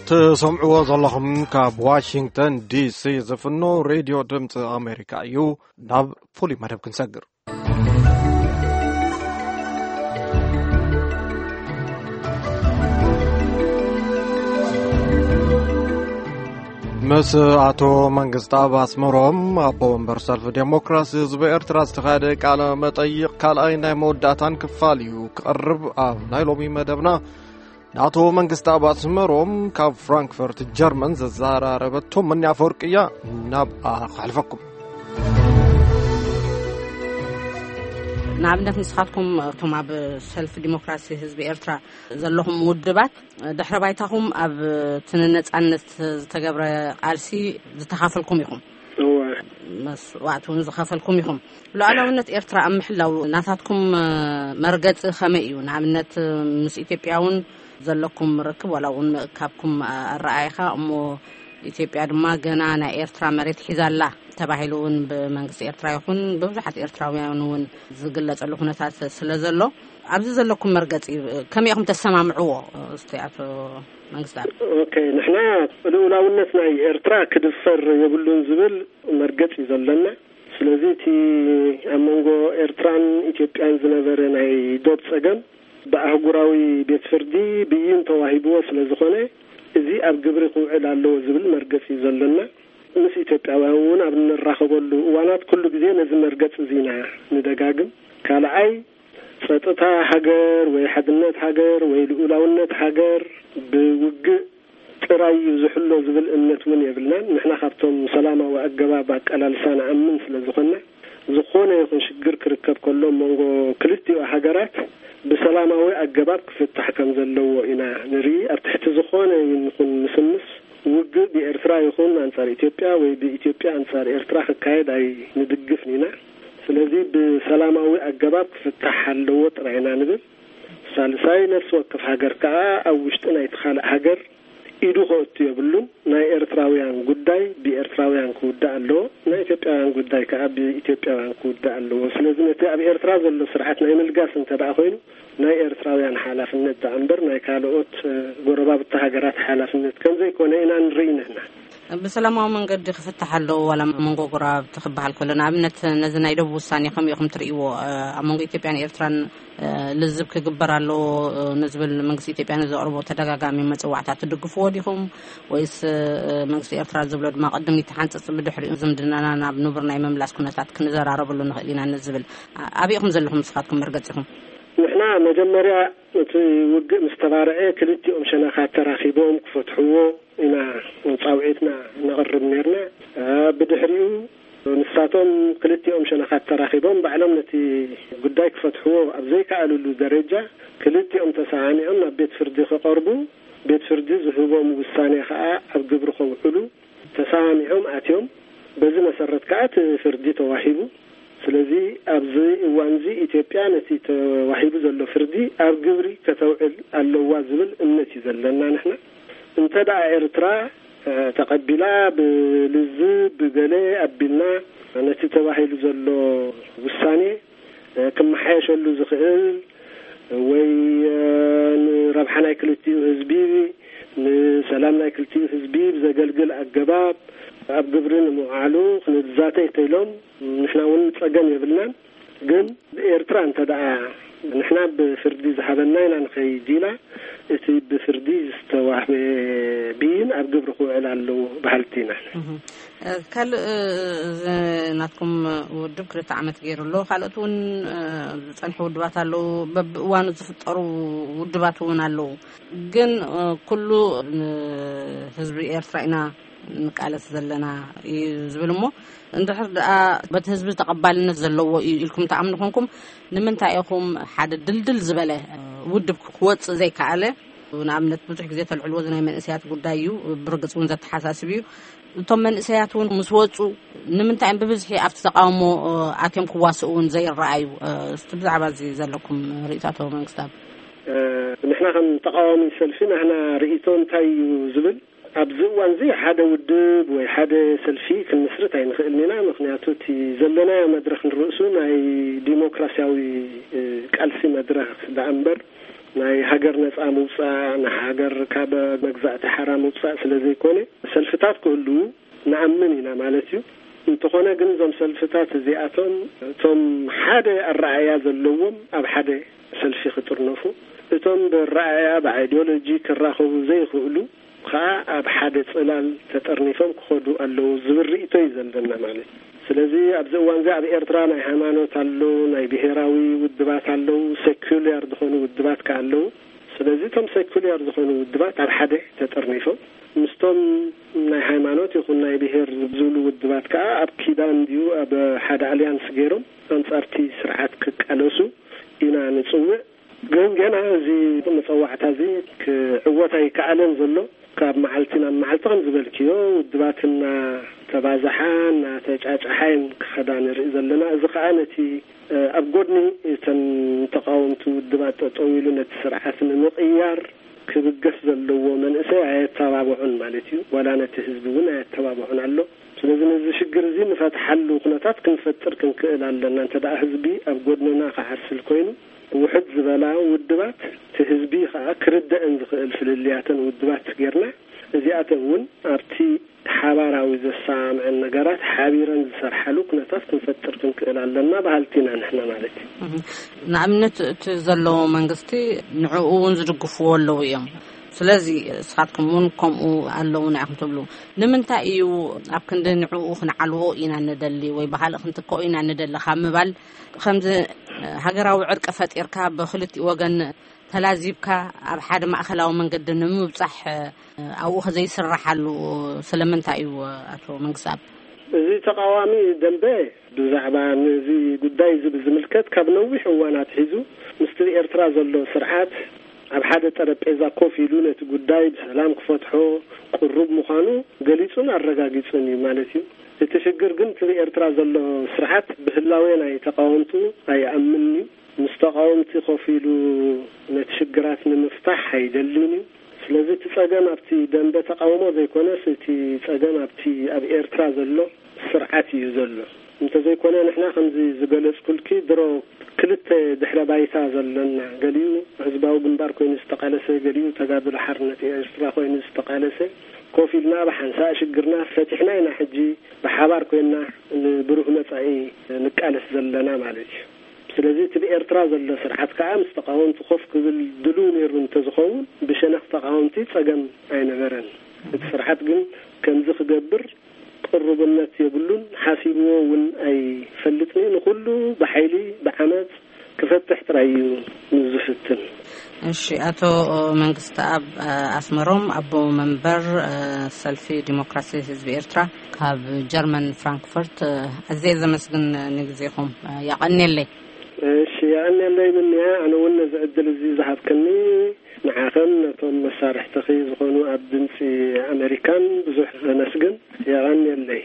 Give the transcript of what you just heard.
ትሰምዕዎ ዘለኹም ካብ ዋሽንግተን ዲሲ ዝፍኖ ሬድዮ ድምፂ ኣሜሪካ እዩ። ናብ ፍሉይ መደብ ክንሰግር። ምስ ኣቶ መንግስታብ ኣስመሮም፣ ኣቦ ወንበር ሰልፊ ዴሞክራሲ ህዝቢ ኤርትራ፣ ዝተኻየደ ቃለ መጠይቕ ካልኣይ ናይ መወዳእታን ክፋል እዩ ክቐርብ። ኣብ ናይ ሎሚ መደብና ንኣቶ መንግስታብ ኣስመሮም ካብ ፍራንክፈርት ጀርመን ዘዘራረበቶ መኒ ኣፈወርቂ እያ። ናብ ኣኸሕልፈኩም። ንኣብነት ንስኻትኩም እቶም ኣብ ሰልፊ ዲሞክራሲ ህዝቢ ኤርትራ ዘለኹም ውድባት፣ ድሕረ ባይታኹም ኣብ እቲ ንነጻነት ዝተገብረ ቃልሲ ዝተኻፈልኩም ኢኹም። እወ። መስዋእቲ እውን ዝኸፈልኩም ኢኹም። ሉዓላውነት ኤርትራ ኣብ ምሕላው ናታትኩም መርገጺ ከመይ እዩ? ንኣብነት ምስ ኢትዮጵያ እውን ዘለኩም ርክብ ዋላ እውን ምእካብኩም ኣረኣይኻ እሞ፣ ኢትዮጵያ ድማ ገና ናይ ኤርትራ መሬት ሒዛላ ተባሂሉ እውን ብመንግስቲ ኤርትራ ይኹን ብብዙሓት ኤርትራውያን እውን ዝግለጸሉ ኩነታት ስለ ዘሎ፣ ኣብዚ ዘለኩም መርገጺ ከመይ ኢኹም ተሰማምዕዎ? እስቲ ኣቶ መንግስታብ። ኦኬ፣ ንሕና ልኡላውነት ናይ ኤርትራ ክድፈር የብሉን ዝብል መርገጺ እዩ ዘለና። ስለዚ እቲ ኣብ መንጎ ኤርትራን ኢትዮጵያን ዝነበረ ናይ ዶብ ጸገም ብኣህጉራዊ ቤት ፍርዲ ብይን ተዋሂብዎ ስለ ዝኾነ፣ እዚ ኣብ ግብሪ ክውዕል ኣለዎ ዝብል መርገጺ እዩ ዘለና። ምስ ኢትዮጵያውያን እውን ኣብ እንራኸበሉ እዋናት ኩሉ ግዜ ነዚ መርገጺ እዚ ኢና ንደጋግም። ካልኣይ፣ ጸጥታ ሃገር ወይ ሓድነት ሃገር ወይ ልኡላውነት ሃገር ብውግእ ጥራይ እዩ ዝሕሎ ዝብል እምነት እውን የብልናን። ንሕና ካብቶም ሰላማዊ ኣገባብ ኣቃላልሳ ንኣምን ስለ ዝኾንና፣ ዝኾነ ይኹን ሽግር ክርከብ ከሎ መንጎ ክልቲኡ ሃገራት ብሰላማዊ ኣገባብ ክፍታሕ ከም ዘለዎ ኢና ንርኢ። ኣብ ትሕቲ ዝኾነ ይኹን ምስምስ ውግእ ብኤርትራ ይኹን ኣንጻር ኢትዮጵያ ወይ ብኢትዮጵያ ኣንጻር ኤርትራ ክካየድ ኣይንድግፍን ኢና። ስለዚ ብሰላማዊ ኣገባብ ክፍታሕ ኣለዎ ጥራይ ኢና ንብል። ሳልሳይ፣ ነፍሲ ወከፍ ሃገር ከኣ ኣብ ውሽጢ ናይቲ ካልእ ሃገር ኢዱ ከእቱ የብሉን። ናይ ኤርትራውያን ጉዳይ ብኤርትራውያን ክውዳእ ኣለዎ። ናይ ኢትዮጵያውያን ጉዳይ ከኣ ብኢትዮጵያውያን ክውዳእ ኣለዎ። ስለዚ ነቲ ኣብ ኤርትራ ዘሎ ስርዓት ናይ ምልጋስ እንተ ደኣ ኮይኑ፣ ናይ ኤርትራውያን ሓላፍነት ደኣ እምበር ናይ ካልኦት፣ እ፣ ጎረባብቲ ሃገራት ሓላፍነት ከም ዘይኮነ ኢና ንርኢ ንሕና። ብሰላማዊ መንገዲ ክፍታሕ ኣለዎ ዋላ መንጎ ጎረባብቲ ክበሃል ከሎ፣ ንኣብነት ነዚ ናይ ደቡብ ውሳኔ ከመይ ኢኹም ትርእይዎ? እ፣ ኣብ መንጎ ኢትዮጵያን ኤርትራን፣ እ፣ ልዝብ ክግበር ኣለዎ፣ እ፣ ንዝብል መንግስቲ ኢትዮጵያ ንዘቕርቦ ተደጋጋሚ መጽዋዕታት ትድግፍዎ ዲኹም? ወይስ፣ እ፣ መንግስቲ ኤርትራ ዝብሎ ድማ ቅድሚት ሓንጽጽ ብድሕሪኡ ዝምድናና ናብ ንቡር ናይ ምምላስ ኩነታት ክንዘራረበሉ ንኽእል ኢና ንዝብል? ኣ-፣ ኣበይ ኢኹም ዘለኹም ንስኻትኩም መርገጺኹም? ንሕና መጀመርያ እቲ ውግእ ምስ ተባርዐ ክልቲኦም ሸነኻት ተራኺቦም ክፈትሕዎ ኢና ጻውዒትና ነቕርብ ኔርና። እ፣ ብድሕሪኡ ንሳቶም ክልቲኦም ሸነኻት ተራኺቦም ባዕሎም ነቲ ጉዳይ ክፈትሕዎ ኣብ ዘይከኣልሉ ደረጃ ክልቲኦም ተሰማሚዖም ናብ ቤት ፍርዲ ክቐርቡ፣ ቤት ፍርዲ ዝህቦም ውሳኔ ከኣ ኣብ ግብሪ ከውዕሉ ተሰማሚዖም ኣትዮም። በዚ መሰረት ከኣ እቲ ፍርዲ ተዋሂቡ። ስለዚ ኣብዚ እዋንዚ ኢትዮጵያ ነቲ ተዋሂቡ ዘሎ ፍርዲ ኣብ ግብሪ ከተውዕል ኣለዋ ዝብል እምነት እዩ ዘለና ንሕና። እንተ ደኣ ኤርትራ፣ እ፣ ተቐቢላ ብልዝብ ብገለ ኣቢልና ነቲ ተባሂሉ ዘሎ ውሳኔ፣ እ፣ ክመሓየሸሉ ዝኽእል ወይ፣ እ፣ ንረብሓ ናይ ክልቲኡ ህዝቢ፣ ንሰላም ናይ ክልቲኡ ህዝቢ ብዘገልግል ኣገባብ ኣብ ግብሪ ንምውዓሉ ክንዛተ እንተኢሎም ንሕና እውን ጸገም የብልናን። ግን ኤርትራ እንተ ደኣ ንሕና ብፍርዲ ዝሃበና ኢና ንኸይድ ኢላ፣ እቲ ብፍርዲ ዝተዋህበ ብይን ኣብ ግብሪ ክውዕል ኣለዎ በሃልቲ ኢና። እህ። እ፣ ካልእ፣ እ፣ እዚ ናትኩም ውድብ ክልተ ዓመት ገይሩ ኣሎ። ካልኦት እውን፣ እ፣ ዝጸንሑ ውድባት ኣለዉ። በብእዋኑ ዝፍጠሩ ውድባት እውን ኣለዉ። ግን፣ እ፣ ኩሉ ንህዝቢ ኤርትራ ኢና ንቃለስ ዘለና እዩ ዝብል እሞ፣ እንድሕር ደኣ በቲ ህዝቢ ተቐባልነት ዘለዎ እዩ ኢልኩም ትኣምኑ ኮንኩም፣ ንምንታይ ኢኹም ሓደ ድልድል ዝበለ ውድብ ክወጽእ ዘይከኣለ? ንኣብነት፣ ብዙሕ ግዜ ተልዕልዎ ናይ መንእሰያት ጉዳይ እዩ፣ ብርግጽ እውን ዘተሓሳስብ እዩ። እቶም መንእሰያት እውን ምስ ወጹ፣ ንምንታይ እዮም ብብዝሒ ኣብቲ ተቃውሞ፣ እ፣ ኣትዮም ክዋስኡ እውን ዘይረኣዩ? እ፣ እስቲ ብዛዕባ እዚ ዘለኩም ርእይቶ፣ ኣቶ መንግስታብ። እ፣ ንሕና ከም ተቃዋሚ ሰልፊ ናህና ርእይቶ እንታይ እዩ ዝብል፣ ኣብዚ እዋን እዚ ሓደ ውድብ ወይ ሓደ ሰልፊ ክንምስርት ኣይንኽእልን ኢና። ምኽንያቱ እቲ ዘለናዮ መድረኽ ንርእሱ ናይ ዲሞክራሲያዊ፣ እ፣ ቃልሲ መድረኽ ደኣ እምበር ናይ ሃገር ነጻ ምውጻእ፣ ንሃገር ካብ መግዛእቲ ሓራ ምውጻእ ስለ ዘይኮነ፣ ሰልፍታት ክህልዉ ንኣምን ኢና ማለት እዩ። እንተኾነ ግን፣ እዞም ሰልፍታት እዚኣቶም፣ እቶም ሓደ ኣረኣእያ ዘለዎም ኣብ ሓደ ሰልፊ ክጥርነፉ፣ እቶም ብኣረኣእያ፣ ብኣይዲዮሎጂ ክራኸቡ ዘይኽእሉ ከኣ ኣብ ሓደ ጽላል ተጠርኒፎም ክኸዱ ኣለዉ ዝብል ርእይቶ እዩ ዘለና ማለት እዩ። ስለዚ ኣብዚ እዋን እዚ ኣብ ኤርትራ ናይ ሃይማኖት ኣሎ፣ ናይ ብሄራዊ ውድባት ኣለዉ፣ ሴኩላር ዝኾኑ ውድባት ከኣ ኣለዉ። ስለዚ እቶም ሴኩላር ዝኾኑ ውድባት ኣብ ሓደ ተጠርኒፎም፣ ምስቶም ናይ ሃይማኖት ይኹን ናይ ብሄር ዝብሉ ውድባት ከኣ ኣብ ኪዳን ድዩ ኣብ ሓደ ኣልያንስ ገይሮም ኣንጻርቲ ስርዓት ክቃለሱ ኢና ንጽውዕ። ግን ገና እዚ መጸዋዕታ እዚ ክዕወት ኣይከኣለን ዘሎ። ካብ መዓልቲ ናብ መዓልቲ ከም ዝበልክዮ፣ ውድባት እናተባዝሓ እናተጫጫሓ እየን ክኸዳ ንርኢ ዘለና። እዚ ከኣ ነቲ፣ እ፣ ኣብ ጎድኒ እተን ተቃወምቲ ውድባት ጠጠው ኢሉ ነቲ ስርዓት ንምቕያር ክብገስ ዘለዎ መንእሰይ ኣየተባብዑን ማለት እዩ። ዋላ ነቲ ህዝቢ እውን ኣየተባብዑን ኣሎ። ስለዚ ነዚ ሽግር እዚ ንፈትሓሉ ኩነታት ክንፈጥር ክንክእል ኣለና። እንተ ደኣ ህዝቢ ኣብ ጎድንና ክዓስል ኮይኑ፣ ውሕድ ዝበላ ውድባት፣ እቲ ህዝቢ ከኣ ክርደአን ዝኽእል ፍልልያተን ውድባት ጌርና፣ እዚኣተን እውን ኣብቲ ሓባራዊ ዘሰማምዐን ነገራት ሓቢረን ዝሰርሓሉ ኩነታት ክንፈጥር ክንክእል ኣለና በሃልቲ ኢና ንሕና ማለት እዩ። እህ፣ ንኣብነት እቲ ዘሎ መንግስቲ ንዕኡ እውን ዝድግፍዎ ኣለዉ እዮም። ስለዚ ንስኻትኩም እውን ከምኡ ኣለዉና ኢኹም ትብሉ። ንምንታይ እዩ ኣብ ክንዲ ንዕኡ ክንዓልዎ ኢና ንደሊ ወይ ብኻልእ ክንትክኦ ኢና ንደሊ ካብ ምባል፣ ከምዚ ሃገራዊ ዕርቂ ፈጢርካ ብክልቲኡ ወገን ተላዚብካ ኣብ ሓደ ማእከላዊ መንገዲ ንምብጻሕ ኣብኡ ከዘይስረሓሉ ስለምንታይ እዩ? ኣቶ መንግስኣብ። እዚ ተቃዋሚ ደንበ ብዛዕባ ነዚ ጉዳይ እዚ ብዝምልከት ካብ ነዊሕ እዋን ኣትሒዙ ምስቲ ብኤርትራ ዘሎ ስርዓት ኣብ ሓደ ጠረጴዛ ኮፍ ኢሉ ነቲ ጉዳይ ብሰላም ክፈትሖ ቅሩብ ምዃኑ ገሊጹን ኣረጋጊጹን እዩ ማለት እዩ። እቲ ሽግር ግን እቲ ብኤርትራ ዘሎ ስርዓት ብህላዌ ናይ ተቃወምቱ ኣይኣምንን እዩ። ምስ ተቃወምቲ ኮፍ ኢሉ ነቲ ሽግራት ንምፍታሕ ኣይደልን እዩ። ስለዚ እቲ ጸገም ኣብቲ ደንበ ተቃውሞ ዘይኮነስ፣ እቲ ጸገም ኣብቲ ኣብ ኤርትራ ዘሎ ስርዓት እዩ ዘሎ። እንተዘይኮነ፣ ንሕና ከምዚ ዝገለጽኩልኪ፣ ድሮ ክልተ ድሕረ ባይታ ዘሎና፣ ገሊኡ ህዝባዊ ግንባር ኮይኑ ዝተቃለሰ፣ ገሊኡ ተጋድሎ ሓርነት ኤርትራ ኮይኑ ዝተቃለሰ፣ ኮፍ ኢልና ብሓንሳእ ሽግርና ፈቲሕና ኢና ሕጂ ብሓባር ኮይና ንብሩህ መጻኢ ንቃለስ ዘለና ማለት እዩ። ስለዚ እቲ ብኤርትራ ዘሎ ስርዓት ከኣ ምስ ተቃወምቲ ኮፍ ክብል ድሉው ነይሩ እንተዝኸውን፣ ብሸነኽ ተቃወምቲ ጸገም ኣይነበረን። እቲ ስርዓት ግን ከምዚ ክገብር ቅሩብነት የብሉን፣ ሓሲብዎ እውን ኣይፈልጥን እዩ። ንኹሉ ብሓይሊ፣ ብዓመጽ ክፈትሕ ጥራይ እዩ ዝፍትን። እሺ፣ ኣቶ መንግስተኣብ ኣስመሮም፣ ኣቦ መንበር ሰልፊ ዲሞክራሲ ህዝቢ ኤርትራ ካብ ጀርመን ፍራንክፈርት፣ ኣዝየ ዘመስግን ንግዜኹም። የቐንየለይ። እሺ፣ የቐንየለይ ብንያ። ኣነ እውን ነዚ ዕድል እዚ ዝሃብክኒ ንዓኸን ነቶም መሳርሕትኺ ዝኾኑ ኣብ ድምፂ ኣሜሪካን ብዙሕ ዘመስግን። የቐንየለይ።